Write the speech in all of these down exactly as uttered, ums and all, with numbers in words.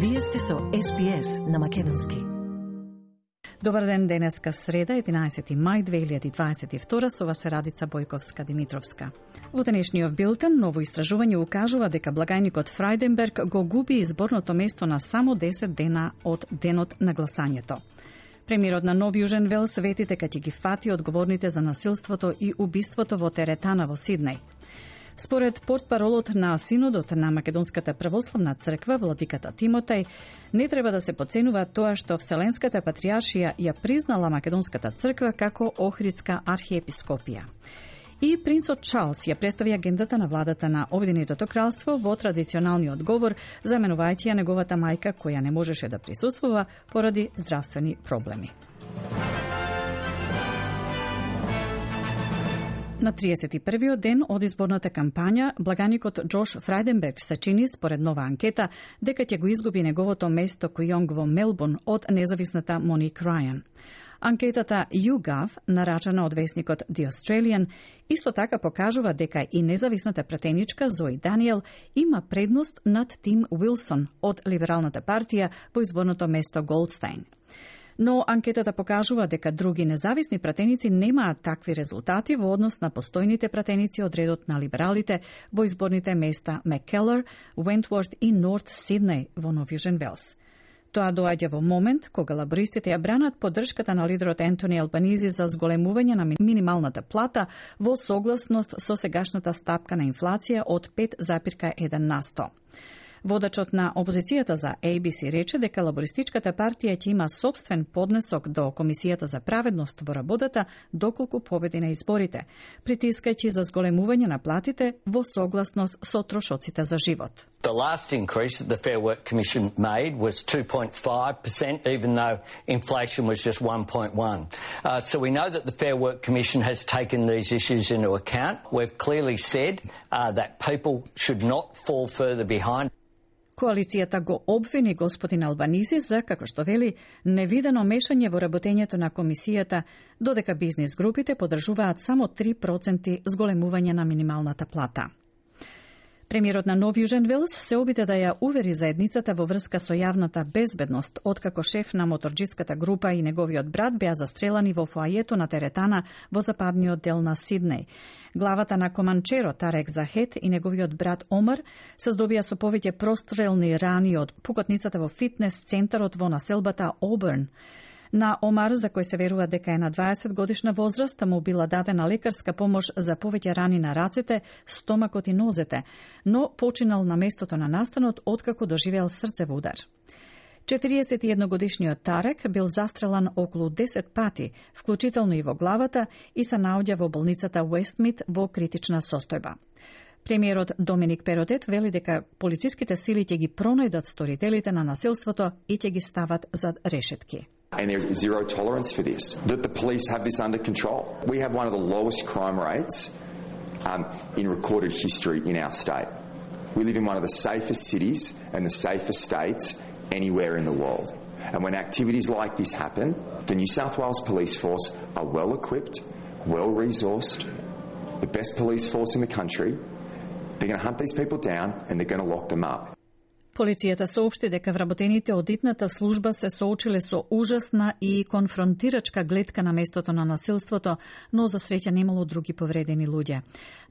Вие сте со Ес Би Ес на Македонски. Добар ден, денеска среда, единаесети мај две илјади дваесет и втора, со вас е Радица Бојковска-Димитровска. Во денешниот билтен, ново истражување укажува дека благајникот Фрајденберг го губи изборното место на само десет дена од денот на гласањето. Премиерот на Нов Јужен Велс вети дека ќе ги фати одговорните за насилството и убиството во теретана во Сиднеј. Според портпаролот на Синодот на Македонската православна црква, владиката Тимотеј, не треба да се подценува тоа што Вселенската патријаршија ја признала Македонската црква како Охридска архиепископија. И принцот Чарлс ја представи агендата на владата на Обединетото кралство во традиционалниот говор, заменувајќи ја неговата мајка која не можеше да присуствува поради здравствени проблеми. На триесет и првиот ден од изборната кампања, благаникот Џош Фрајденберг се чини, според нова анкета, дека ќе го изгуби неговото место Кујонг во Мелбурн од независната Моник Рајан. Анкетата YouGov, нарачана од весникот The Australian, исто така покажува дека и независната пратеничка Зои Даниел има предност над Тим Уилсон од Либералната партија во изборното место Голдстајн. Но анкетата покажува дека други независни пратеници немаат такви резултати во однос на постојните пратеници од редот на либералите во изборните места Маккелар, Уентворт и Норт Сиднеј во Нов Јужен Велс. Тоа доаѓа во момент кога лабористите ја бранат поддршката на лидерот Ентони Албанизи за зголемување на минималната плата во согласност со сегашната стапка на инфлација од пет запирка еден на сто. Водачот на опозицијата за Ей Би Си рече дека лабористичката партија ќе има сопствен поднесок до Комисијата за праведност во работата доколку победи на изборите, притискајќи за зголемување на платите во согласност со трошоците за живот. The last increase that the Fair Work Commission made was two point five percent, even though inflation was just one point one. Uh, so we know that the Fair Work Commission has taken these issues into account. We've clearly said uh, that people should not fall further behind. Коалицијата го обвини господин Албанизи за, како што вели, невидено мешање во работењето на комисијата, додека бизнис групите подржуваат само три проценти зголемување на минималната плата. Премиерот на Нов Јужен Велс се обиде да ја увери заедницата во врска со јавната безбедност, откако шеф на моторџиската група и неговиот брат беа застрелани во фоајето на теретана во западниот дел на Сиднеј. Главата на команчеро Тарек Захет и неговиот брат Омар се здобија со повеќе прострелни рани од пукотницата во фитнес центарот во населбата Оберн. На Омар, за кој се верува дека е на дваесет годишна возраст, му била дадена лекарска помош за повеќе рани на рацете, стомакот и нозете, но починал на местото на настанот откако доживеал срцев удар. четириесет и едногодишниот Тарек бил застрелан околу десет пати, вклучително и во главата, и се наоѓа во болницата Уестмит во критична состојба. Премиерот Доминик Перотет вели дека полициските сили ќе ги пронајдат сторителите на насилството и ќе ги стават зад решетки. And there is zero tolerance for this, that the police have this under control. We have one of the lowest crime rates um, in recorded history in our state. We live in one of the safest cities and the safest states anywhere in the world. And when activities like this happen, the New South Wales Police Force are well equipped, well resourced, the best police force in the country. They're going to hunt these people down and they're going to lock them up. Полицијата соопшти дека вработените од итната служба се соочиле со ужасна и конфронтирачка гледка на местото на насилството, но за среќа немало други повредени луѓе.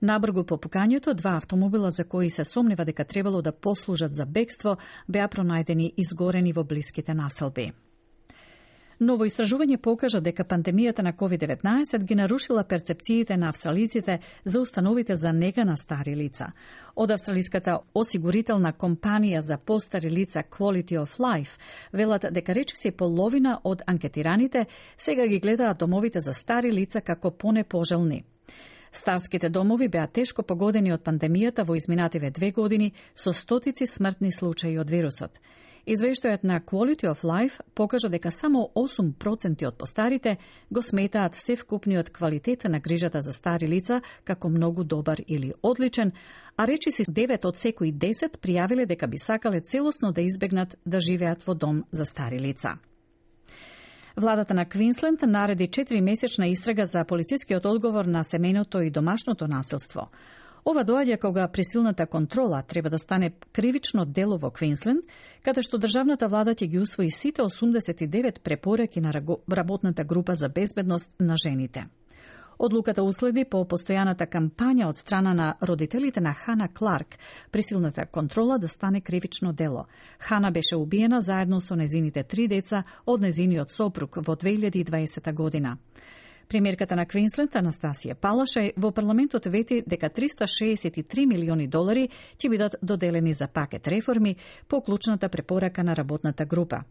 Набргу по пукањето, два автомобила за кои се сомнева дека требало да послужат за бегство, беа пронајдени изгорени во блиските населби. Ново истражување покажа дека пандемијата на ковид деветнаесет ги нарушила перцепциите на австралиците за установите за нега на стари лица. Од австралиската осигурителна компанија за постари лица Quality of Life велат дека речиси половина од анкетираните сега ги гледаат домовите за стари лица како понепожелни. Старските домови беа тешко погодени од пандемијата во изминативе две години со стотици смртни случаи од вирусот. Извештајот на Quality of Life покажа дека само осум проценти од постарите го сметаат севкупниот квалитет на грижата за стари лица како многу добар или одличен, а речиси девет од секои десет пријавиле дека би сакале целосно да избегнат да живеат во дом за стари лица. Владата на Квинсленд нареди четиримесечна истрага за полицискиот одговор на семејното и домашното насилство. Ова доаѓа кога присилната контрола треба да стане кривично дело во Квинсленд, каде што државната влада ќе ги усвои сите осумдесет и девет препораки на работната група за безбедност на жените. Одлуката уследи по постојаната кампања од страна на родителите на Хана Кларк, присилната контрола да стане кривично дело. Хана беше убиена заедно со незините три деца од незиниот сопруг во две илјади и дваесета година. Премиерката на Квинсленд, Анастасија Палашај, во парламентот вети дека триста шеесет и три милиони долари ќе бидат доделени за пакет реформи по клучната препорака на работната група.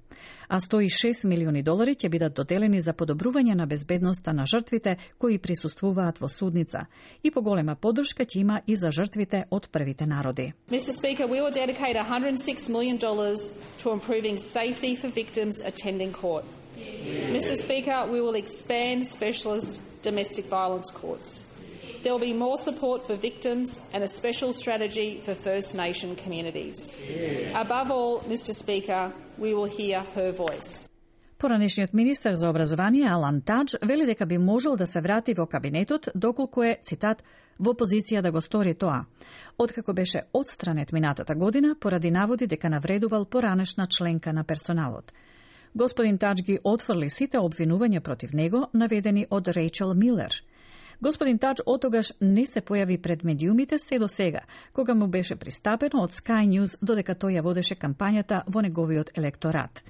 А сто и шест милиони долари ќе бидат доделени за подобрување на безбедноста на жртвите кои присуствуваат во судница. И поголема поддршка ќе има и за жртвите од првите народи. Mister Speaker, we will dedicate one hundred six million dollars to improving safety for victims attending court. Mister Speaker, we will expand specialist domestic violence courts. There will be more support for victims and a special strategy for First Nation communities. Above all, Mister Speaker, we will hear her voice. Поранешниот министер за образование Алан Тадж вели дека би можел да се врати во кабинетот доколку е, цитат, во позиција да го стори тоа. Откако беше отстранет минатата година поради наводи дека навредувал поранешна членка на персоналот. Господин Тадж ги отфрли сите обвинувања против него, наведени од Рейчел Милер. Господин Тадж отогаш не се појави пред медиумите се до сега, кога му беше пристапено од Sky News додека тој ја водеше кампањата во неговиот електорат.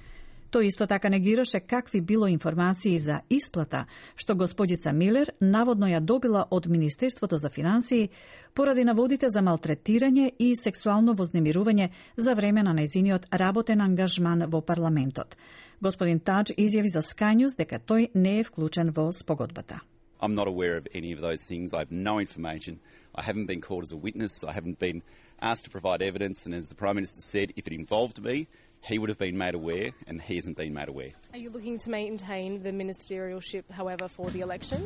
Тој исто така негираше какви било информации за исплата, што господица Милер наводно ја добила од Министерството за финансии поради наводите за малтретирање и сексуално вознемирување за време на нејзиниот работен ангажман во парламентот. Господин Тадж изјави за Sky News дека тој не е вклучен во спогодбата. I'm not aware of any of those things. I have no information. I haven't been called as a witness. I haven't been asked to provide evidence. And as the Prime Minister said, if it involved me, he would have been made aware, and he hasn't been made aware. Are you looking to maintain the ministerialship, however, for the election?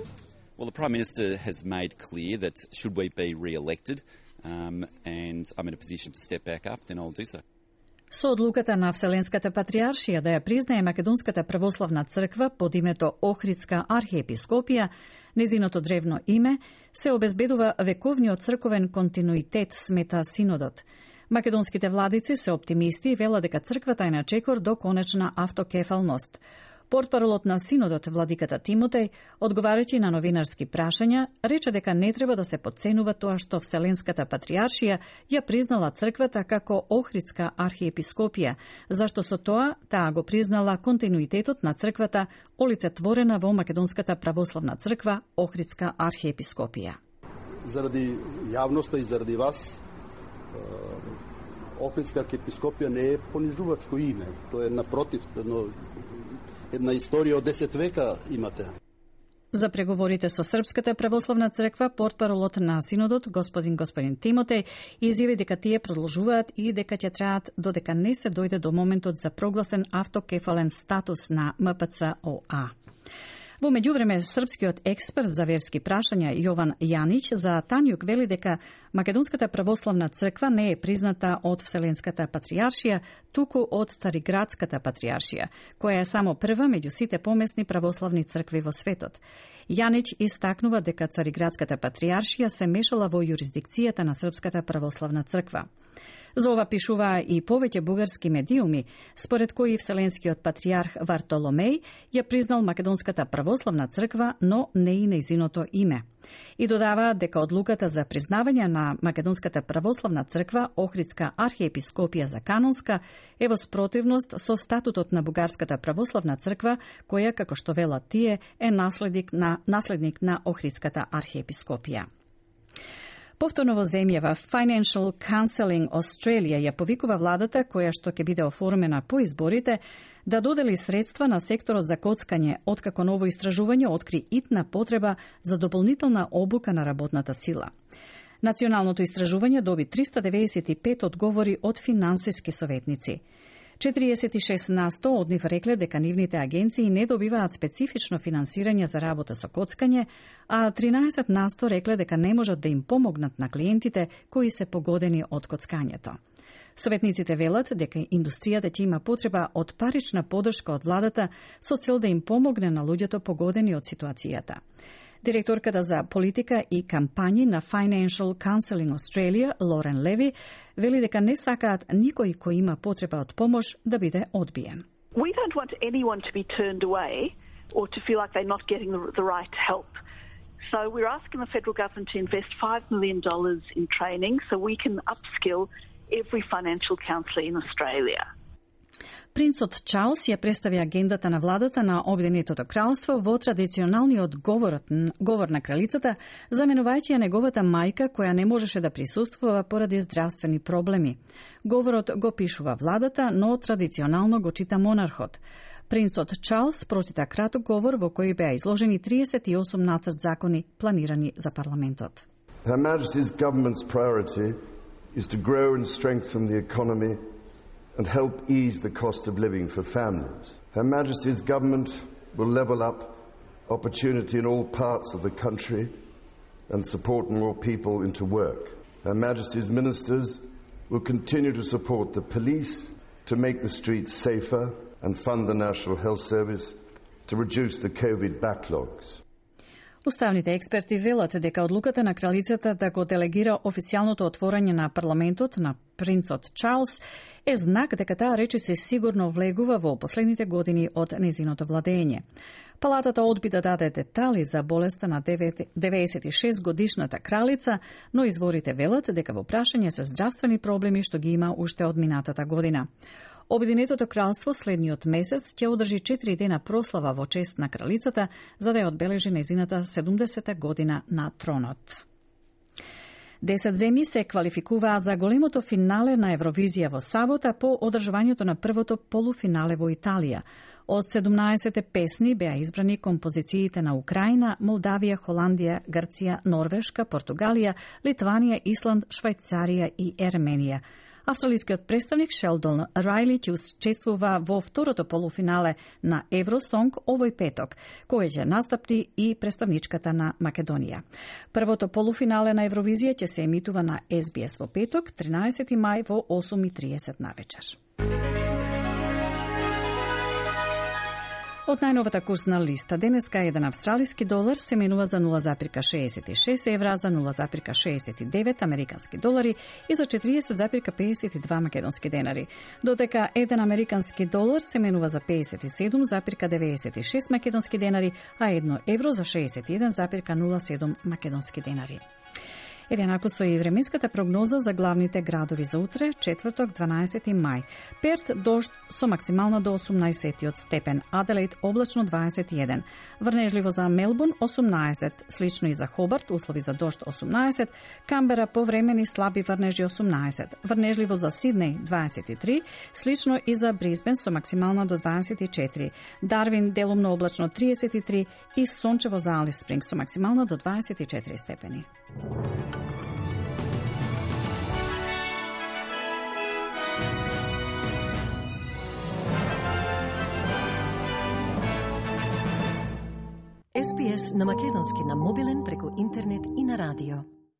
Well, the Prime Minister has made clear that should we be re-elected, um, and I'm in a position to step back up, then I'll do so. Со одлуката на Вселенската патриаршија да ја признае Македонската православна црква под името Охридска архиепископија, незиното древно име, се обезбедува вековниот црковен континуитет, смета Синодот. Македонските владици се оптимисти и велат дека црквата е на чекор до конечна автокефалност. Портпаролот на Синодот, владиката Тимотеј, одговарајќи на новинарски прашања, рече дека не треба да се подценува тоа што Вселенската патриаршија ја признала црквата како Охридска архиепископија, зашто со тоа таа го признала континуитетот на црквата олицетворена во Македонската православна црква Охридска архиепископија. Заради јавноста и заради вас, Охридска архиепископија не е понижувачко име, тоа е напротив, едно една историја од десет века имате. За преговорите со Српската православна црква, портпаролот на Синодот, господин господин Тимотеј, изјави дека тие продолжуваат и дека ќе траат додека не се дојде до моментот за прогласен автокефален статус на М П Ц О А. Во меѓувреме, српскиот експерт за верски прашања Јован Јанич за Тањук вели дека Македонската православна црква не е призната од Вселенската патриаршија, туку од Цариградската патриаршија, која е само прва меѓу сите помесни православни цркви во светот. Јанич истакнува дека Цариградската патриаршија се мешала во јурисдикцијата на Српската православна црква. За ова пишуваа и повеќе бугарски медиуми, според кои Вселенскиот патриарх Вартоломеј ја признал Македонската православна црква, но не и нејзиното име. И додаваа дека одлуката за признавање на Македонската православна црква Охридска архиепископија за канонска е во спротивност со статутот на Бугарската православна црква, која, како што велат тие, е наследник на, наследник на Охридската архиепископија. Повторно во земјава, Financial Counselling Australia ја повикува владата, која што ќе биде оформена по изборите, да додели средства на секторот за коцкање, откако ново истражување откри итна потреба за дополнителна обука на работната сила. Националното истражување доби триста деведесет и пет одговори од финансиски советници. четириесет и шест на сто од нив рекле дека нивните агенции не добиваат специфично финансирање за работа со коцкање, а тринаесет на сто рекле дека не можат да им помогнат на клиентите кои се погодени од коцкањето. Советниците велат дека индустријата ќе има потреба од парична поддршка од владата со цел да им помогне на луѓето погодени од ситуацијата. Директорката за политика и кампањи на Financial Counseling Australia, Лорен Леви, вели дека не сакаат никој кој има потреба од помош да биде одбиен. We don't want anyone to be turned away or to feel like they're not getting the, the right help. So we're asking the federal government to invest five million dollars in training so we can upskill every financial counsellor in Australia. Принцот Чарлс ја представи агендата на владата на Обединетото кралство во традиционалниот говорот, говор на кралицата, заменувајќи ја неговата мајка која не можеше да присуствува поради здравствени проблеми. Говорот го пишува владата, но традиционално го чита монархот. Принцот Чарлс прочита краток говор во кој беа изложени триесет и осум нацрт закони планирани за парламентот. Her Majesty's government's priority is to grow and strengthen the economy and help ease the cost of living for families. Her Majesty's government will level up opportunity in all parts of the country and support more people into work. Her Majesty's ministers will continue to support the police to make the streets safer and fund the National Health Service to reduce the COVID backlogs. Уставните експерти велат дека одлуката на кралицата да го делегира официјалното отворање на парламентот на принцот Чарлс е знак дека таа речиси сигурно влегува во последните години од незиното владење. Палатата одби да даде детали за болеста на деветдесет и шест годишната кралица, но изворите велат дека во прашање се здравствени проблеми што ги има уште од минатата година. Обединетото кралство следниот месец ќе одржи четири дена прослава во чест на кралицата за да ја одбележи незината седумдесета година на тронот. Десет земји се квалификуваа за големото финале на Евровизија во сабота по одржувањето на првото полуфинале во Италија. Од седумнаесет песни беа избрани композициите на Украина, Молдавија, Холандија, Грција, Норвешка, Португалија, Литванија, Исланд, Швајцарија и Ерменија. Австралискиот представник Шелдон Рајли ќе учествува во второто полуфинале на Евросонг овој петок, кој ќе настапи и представничката на Македонија. Првото полуфинале на Евровизија ќе се емитува на Ес Би Ес во петок, тринаесети мај во осум и триесет навечер. Од најновата курсна листа денеска еден австралиски долар се менува за нула запирка шеесет и шест евра, за нула запирка шеесет и девет американски долари и за четириесет запирка пеесет и два македонски денари. Додека еден американски долар се менува за пеесет и седум запирка деветдесет и шест македонски денари, а едно евро за шеесет и еден запирка нула седум македонски денари. Еве накусо и временската прогноза за главните градови за утре, четврток, дванаесети мај. Перт дожд со максимално до осумнаесет степен, Аделаид облачно дваесет и еден, врнежливо за Мелбурн осумнаесет, слично и за Хобарт, услови за дожд осумнаесет, Камбера повремени слаби врнежи осумнаесет, врнежливо за Сиднеј дваесет и три, слично и за Брисбен со максимално до дваесет и четири, Дарвин делумно облачно триесет и три и сончево за Алис Спринг со максимално до дваесет и четири степени. Ес Би Ес на македонски на мобилен преку интернет и на радио.